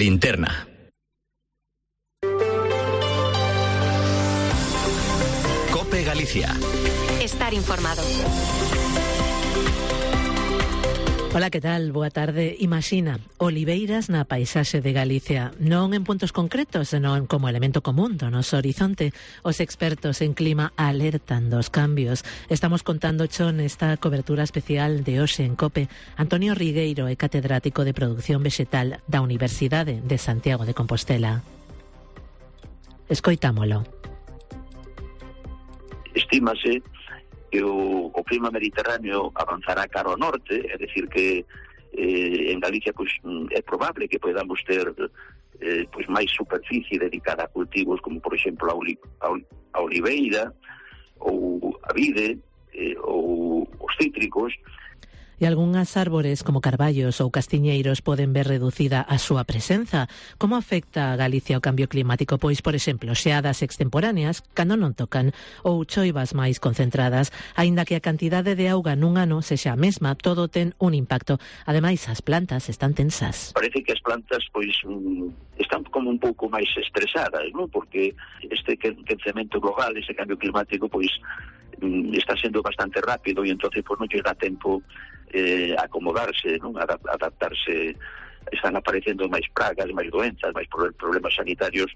Linterna. COPE Galicia. Estar informado. Ola, que tal? Boa tarde. Imaxina, oliveiras na paisaxe de Galicia, non en puntos concretos, senón como elemento común do noso horizonte. Os expertos en clima alertan dos cambios. Estamos contando cho nesta cobertura especial de hoxe en COPE. Antonio Rigueiro é catedrático de Produción Vexetal da Universidade de Santiago de Compostela. Escoitámolo. Estímase que o clima mediterráneo avanzará cara ao norte, é dicir que en Galicia pois é probable que podamos ter pois máis superficie dedicada a cultivos como por exemplo a oliveira ou a vide ou os cítricos. E algunhas árbores como carballos ou castiñeiros poden ver reducida a súa presenza. Como afecta a Galicia o cambio climático? Pois, por exemplo, xeadas extemporáneas cando non tocan ou choivas máis concentradas. Aínda que a cantidade de auga nun ano sexa a mesma, todo ten un impacto. Ademais, as plantas están tensas. Parece que as plantas pois están como un pouco máis estresadas, non? Porque este quencemento global, ese cambio climático, pois está sendo bastante rápido e entonces pois non lle dá tempo acomodarse, non? Adaptarse. Están aparecendo máis pragas, máis doenzas, máis problemas sanitarios.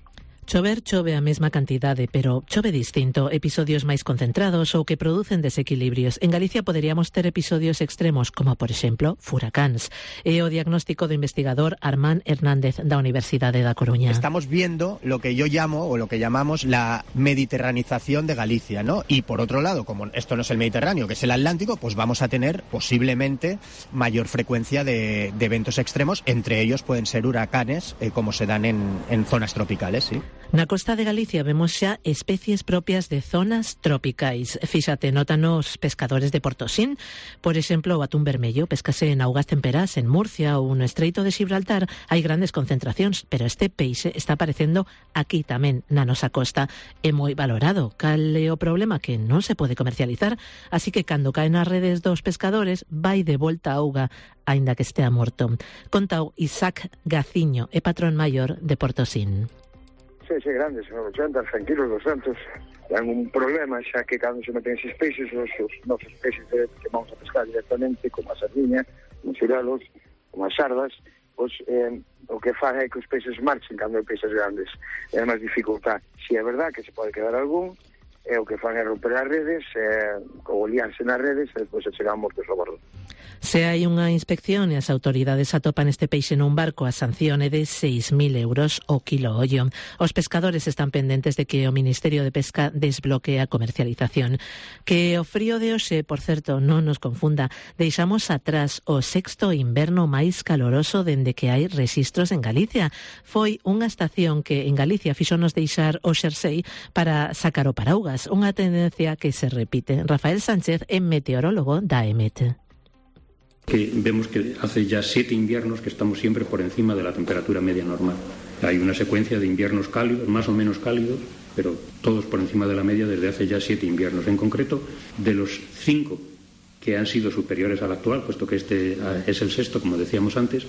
Chover chove a mesma cantidade, pero chove distinto, episodios máis concentrados ou que producen desequilibrios. En Galicia poderíamos ter episodios extremos, como por exemplo, furacáns. É o diagnóstico do investigador Armán Hernández da Universidade da Coruña. Estamos viendo lo que yo llamo, o lo que llamamos, la mediterranización de Galicia, ¿no? Y por otro lado, como esto no es el Mediterráneo, que es el Atlántico, pues vamos a tener posiblemente mayor frecuencia de eventos extremos. Entre ellos pueden ser huracanes, como se dan en zonas tropicales, ¿sí? Na costa de Galicia vemos xa especies propias de zonas tropicais. Fíxate, notan os pescadores de Portosín. Por exemplo, o atún vermello pescase en augas temperás en Murcia ou no Estreito de Gibraltar. Hai grandes concentracións, pero este peixe está aparecendo aquí tamén, na nosa costa. É moi valorado. Cal é o problema? Que non se pode comercializar, así que cando caen as redes dos pescadores, vai de volta a auga, aínda que estea morto. Contao Isaac Gaciño, é patrón maior de Portosín. Sí, grandes, 80, 100 kilos, 200. Dan un problema, xa que cando se meten esses peixes, os nosos peixes que vamos a pescar directamente, como a sardiña, como os cirelos, como as sardas, pois o que fan é que os peixes marchen cando hai peixes grandes. É máis dificultad. Si é verdad que se pode quedar algún, o que fan é romper as redes, ou liarse nas redes, e despois se chegan mortos ao bordo. Se hai unha inspección e as autoridades atopan este peixe nun barco, a sanción é de 6.000 euros o quilo ollo. Os pescadores están pendentes de que o Ministerio de Pesca desbloquee a comercialización. Que o frío de hoxe, por certo, non nos confunda, deixamos atrás o sexto inverno máis caloroso dende que hai rexistros en Galicia. Foi unha estación que en Galicia fixonos deixar o xersei para sacar o paraugas, unha tendencia que se repite. Rafael Sánchez é meteorólogo da EMET. Que vemos que hace ya 7 inviernos que estamos siempre por encima de la temperatura media normal. Hay una secuencia de inviernos cálidos, más o menos cálidos, pero todos por encima de la media desde hace ya 7 inviernos. En concreto, de los 5 que han sido superiores al actual, puesto que este es el sexto, como decíamos antes,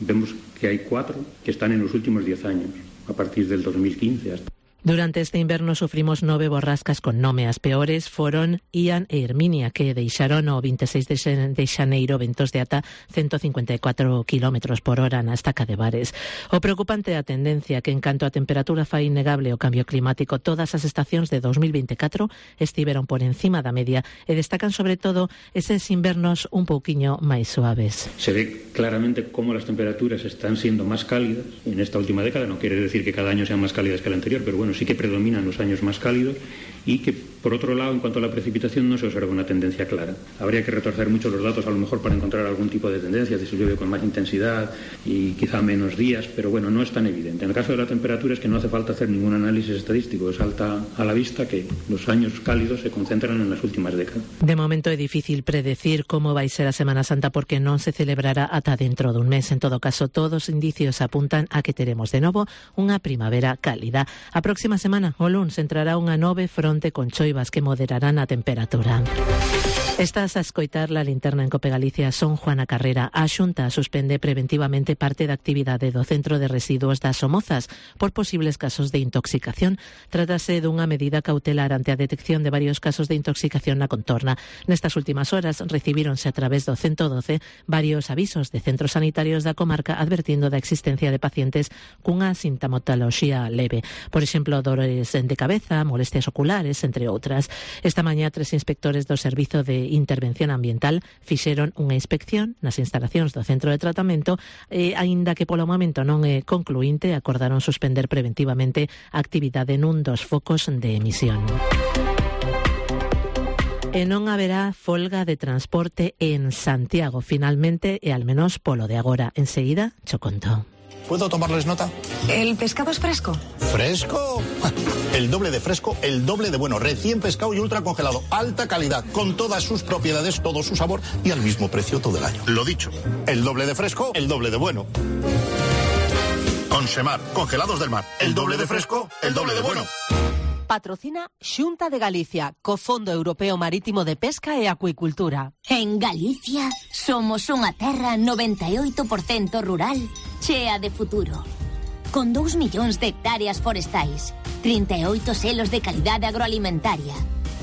vemos que hay 4 que están en los últimos 10 años, a partir del 2015 hasta. Durante este inverno sufrimos 9 borrascas con nome. As peores foron Ian e Herminia, que deixaron o 26 de xaneiro ventos de ata 154 km por hora na estaca de Bares. O preocupante é a tendencia que, en canto a temperatura fai innegable o cambio climático, todas as estacións de 2024 estiveron por encima da media e destacan sobre todo eses invernos un pouquiño máis suaves. Se ve claramente cómo las temperaturas están siendo más cálidas en esta última década. No quiere decir que cada año sean más cálidas que el anterior, pero bueno, sí que predominan los años más cálidos y que, por otro lado, en cuanto a la precipitación, no se observa una tendencia clara. Habría que retorcer mucho los datos, a lo mejor, para encontrar algún tipo de tendencia, si llueve con más intensidad y quizá menos días, pero bueno, no es tan evidente. En el caso de la temperatura es que no hace falta hacer ningún análisis estadístico, salta a la vista que los años cálidos se concentran en las últimas décadas. De momento é difícil predecir como vai ser a Semana Santa porque non se celebrará ata dentro dun mes. En todo caso, todos os indicios apuntan a que teremos de novo unha primavera cálida. A próxima semana, o luns, entrará unha nove fronte con choivas que moderarán a temperatura. Estás a escoitar La Linterna en Cope Galicia. Son Juana Carrera. A Xunta suspende preventivamente parte da actividade do Centro de Residuos das Somozas por posibles casos de intoxicación. Trátase dunha medida cautelar ante a detección de varios casos de intoxicación na contorna. Nestas últimas horas recibíronse a través do 112 varios avisos de centros sanitarios da comarca advertindo da existencia de pacientes cunha sintomatoloxía leve. Por exemplo, dores de cabeza, molestias oculares, entre outras. Esta mañá 3 inspectores do Servizo de Intervención Ambiental fixeron unha inspección nas instalacións do centro de tratamento e, aínda que polo momento non é concluínte, acordaron suspender preventivamente a actividade nun dos focos de emisión. E non haberá folga de transporte en Santiago, finalmente, e al menos polo de agora. Enseguida, cho conto. ¿Puedo tomarles nota? ¿El pescado es fresco? ¿Fresco? El doble de fresco, el doble de bueno. Recién pescado y ultra congelado. Alta calidad, con todas sus propiedades, todo su sabor y al mismo precio todo el año. Lo dicho, el doble de fresco, el doble de bueno. Consemar, congelados del mar. El doble de fresco, el doble de bueno. Patrocina Xunta de Galicia, co Fondo Europeo Marítimo de Pesca e Acuicultura. En Galicia somos unha terra 98% rural, chea de futuro. Con 2 millóns de hectáreas forestais, 38 selos de calidade agroalimentaria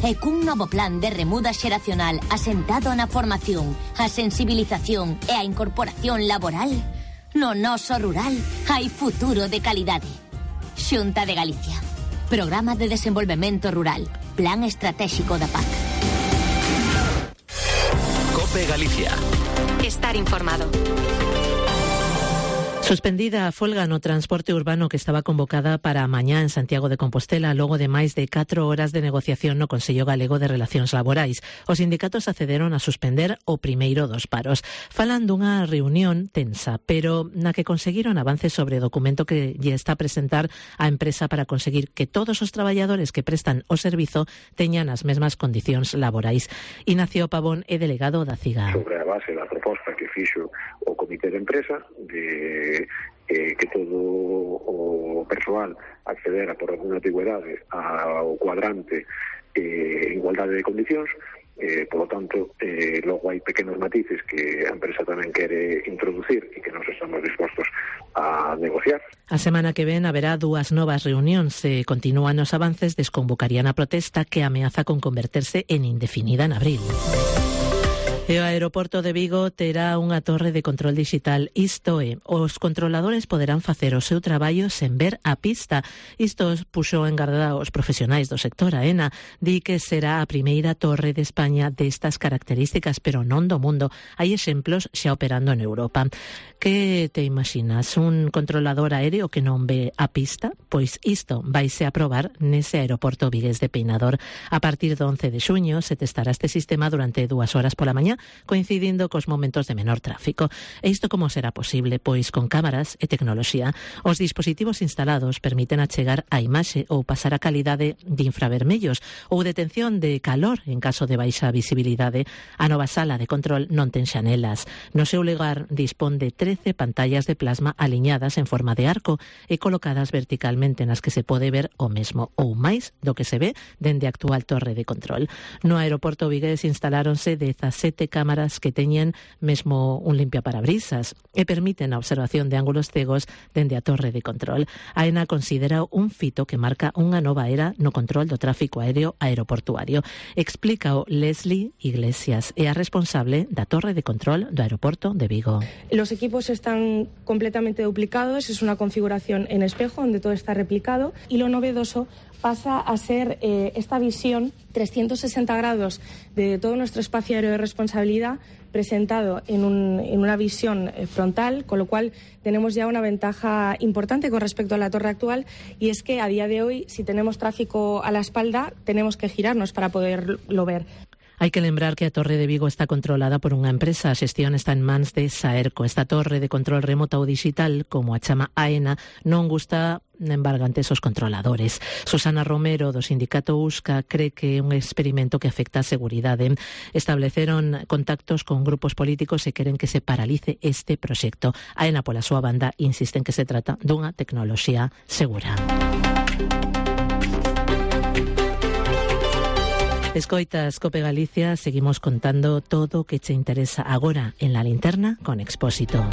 e cun novo plan de remuda xeracional asentado na formación, a sensibilización e a incorporación laboral, no noso rural hai futuro de calidade. Xunta de Galicia. Programa de Desenvolvemento Rural. Plan Estratégico da PAC. Cope Galicia. Estar informado. Suspendida a folga no transporte urbano que estaba convocada para mañá en Santiago de Compostela logo de máis de 4 horas de negociación no Consello Galego de Relacións Laborais. Os sindicatos accederon a suspender o primeiro dos paros. Falan dunha reunión tensa, pero na que conseguiron avances sobre o documento que lle está a presentar a empresa para conseguir que todos os traballadores que prestan o servizo teñan as mesmas condicións laborais. Ignacio Pavón é delegado da CIGA. Sobre a base da proposta que fixo o Comité de Empresa de que todo o persoal accedera por alguna antigüedade ao cuadrante igualdade de condicións, polo tanto, logo hai pequenos matices que a empresa tamén quere introducir e que nos estamos dispostos a negociar. A semana que ven haberá 2 novas reunións. Se continúan os avances, desconvocarían a protesta que ameaza con converterse en indefinida en abril. E o aeroporto de Vigo terá unha torre de control digital. Isto é, os controladores poderán facer o seu traballo sen ver a pista. Isto puxo en garda os profesionais do sector. AENA di que será a primeira torre de España destas características, pero non do mundo. Hai exemplos xa operando en Europa. Que te imaginas? Un controlador aéreo que non ve a pista? Pois isto vaise a probar nese aeroporto vigués de Peinador. A partir do 11 de xuño se testará este sistema durante 2 horas pola mañá, coincidindo cos momentos de menor tráfico. E isto como será posible? Pois con cámaras e tecnoloxía. Os dispositivos instalados permiten achegar a imaxe ou pasar a calidade de infravermellos ou detención de calor en caso de baixa visibilidade. A nova sala de control non ten xanelas. No seu lugar dispón de 13 pantallas de plasma aliñadas en forma de arco e colocadas verticalmente nas que se pode ver o mesmo ou máis do que se ve dende a actual torre de control. No aeroporto vigués instaláronse 17 cámaras que teñen mesmo un limpiaparabrisas e permiten a observación de ángulos cegos dende a torre de control. AENA considera un fito que marca unha nova era no control do tráfico aéreo aeroportuario. Explícao Leslie Iglesias, é a responsable da torre de control do aeroporto de Vigo. Los equipos están completamente duplicados, es una configuración en espejo donde todo está replicado y lo novedoso pasa a ser esta visión 360 grados de todo nuestro espacio aéreo de responsabilidad presentado en una visión frontal, con lo cual tenemos ya una ventaja importante con respecto a la torre actual, y es que a día de hoy, si tenemos tráfico a la espalda, tenemos que girarnos para poderlo ver. Hai que lembrar que a Torre de Vigo está controlada por unha empresa. A xestión está en mans de Saerco. Esta torre de control remoto ou digital, como a chama AENA, non gusta embargantes os controladores. Susana Romero, do sindicato USCA, cree que é un experimento que afecta a seguridade. Estableceron contactos con grupos políticos e queren que se paralice este proxecto. AENA, pola súa banda, insiste en que se trata dunha tecnoloxía segura. Escoitas Cope Galicia, seguimos contando todo o que che interesa agora en La Linterna con Expósito.